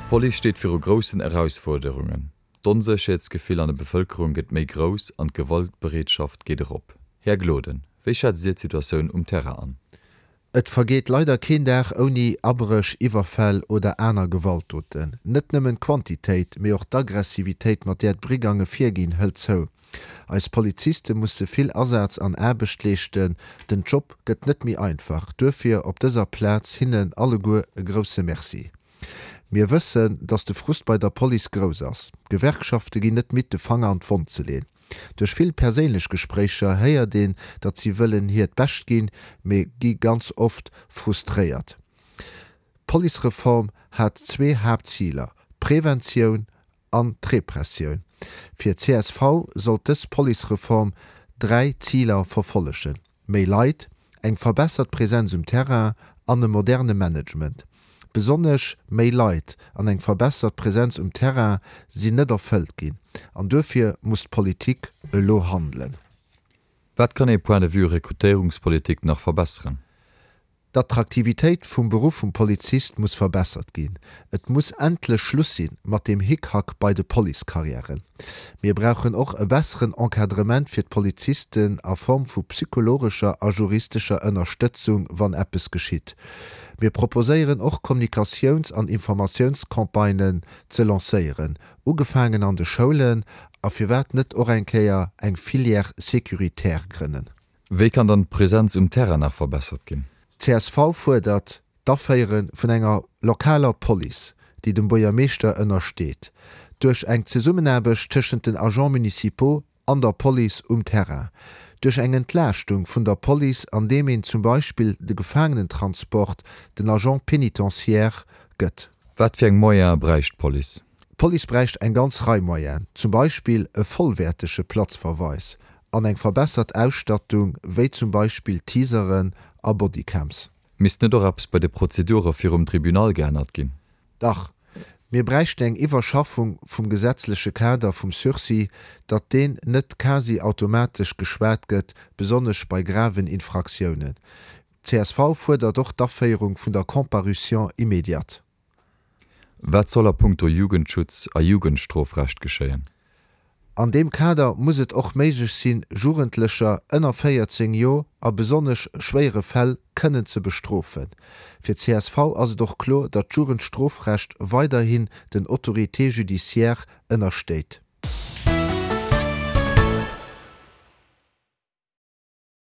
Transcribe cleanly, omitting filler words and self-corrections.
D'Police steet viru groussen Erausfuerderungen. D'Onsécherheetsgefill an der Bevëlkerung gëtt méi grouss an d'Gewaltbereetschaft geet erop. Här Gloden, wéi schätzt Dir d'Situatioun um Terrain an? Et vergeet leider keen Dag ouni Abréch, Iwwerfäll oder aner Gewaltdoten. Net nëmmen d'Quantitéit, mee och d'Aggressivitéit, mat där d'Brigange virginn, hëlt zou. Eis Poliziste musse vill Asaz an Aarbecht leeschten. Den Job gëtt net méi einfach. Duerfir op dëser Plaz hinnen alleguer e grousse Merci. Mir wëssen, datt de Frust bei der Police grouss ass. D'Gewerkschafte ginn net midd, de Fanger an d'Wonn ze leen. Duerch vill perséinlech Gespréicher héiert een, datt si wëllen hiert Bescht ginn, mee gi ganz oft frustréiert. D'Policereform hat zwee Haaptziler, Preventioun an d'Repressioun. Fir csv sollt dës Policereform 3 Ziler verfollegen, méi Leit, eng verbessert Präsenz um Terrain an e moderne Management. Besonnesch méi Leit an eng verbessert Präsenz um Terrain sinn net erfëllt ginn an duerfir muss d'Politik elo handelen. Wat kann ee Point de vue Rekrutéierungspolitik nach verbesseren? D'Attraktivitéit vum Beruff vum Polizist muss verbessert ginn. Et muss endlech Schluss sinn mat deem Hickhack bei de Policecarrièren. Mir brauchen och e besseren Encadrement fir d'Polizisten a Form vu psychologescher a juristescher Ënnerstëtzung wann eppes geschitt. Mir proposéieren och Kommunikatiouns an Informatiounscampagnen ze lancéieren, ugefaangen an de Schoulen, a firwat net och eng Kéier eng Filière sécuritaire grënnen. Wéi kann dann d'Presenz um Terrain nach verbessert ginn? Csv fuerdert d'Aféiere vun enger lokaler Police, déi dem Buergermeeschter ënnersteet, duerch eng Zesummenaarbecht tëschent den Agents municipaux an der Police um Terrain, duerch eng Entlaaschtung vun der Police andeem een zum Beispill de Gefaangenentransport den Agents pénitentiaires gëtt. Wat fir eng Moyene bräicht d'Police? D'Police bräicht eng ganz Rei Moyenen, zum Beispill e vollwäertege Platzverweis an eng verbessert Ausstattung, wéi zum Beispill Taseren a Bodycams. Misst net och eppes bei de Prozedure virum Tribunal geännert ginn? Dach. Mir bräichten eng Iwwerschaffung vum gesetzleche Kader vum Sursis, datt deen net quasi automatesch geschwat gëtt, besonnesch bei graven Infraktiounen. Csv fuerdert och d'Aféierung vun der Comparution immédiate. Wat soll a puncto Jugendschutz a Jugendstrofrecht geschéien? An deem Kader muss et och méiglech sinn, Jugendlecher ënner 14 Joer a besonnesch schwéiere Fäll kënnen ze bestrofen. Fir csv ass et och kloer, datt d'Jugendstrofrecht weiderhin den Autorités judiciaires ënnerstéit.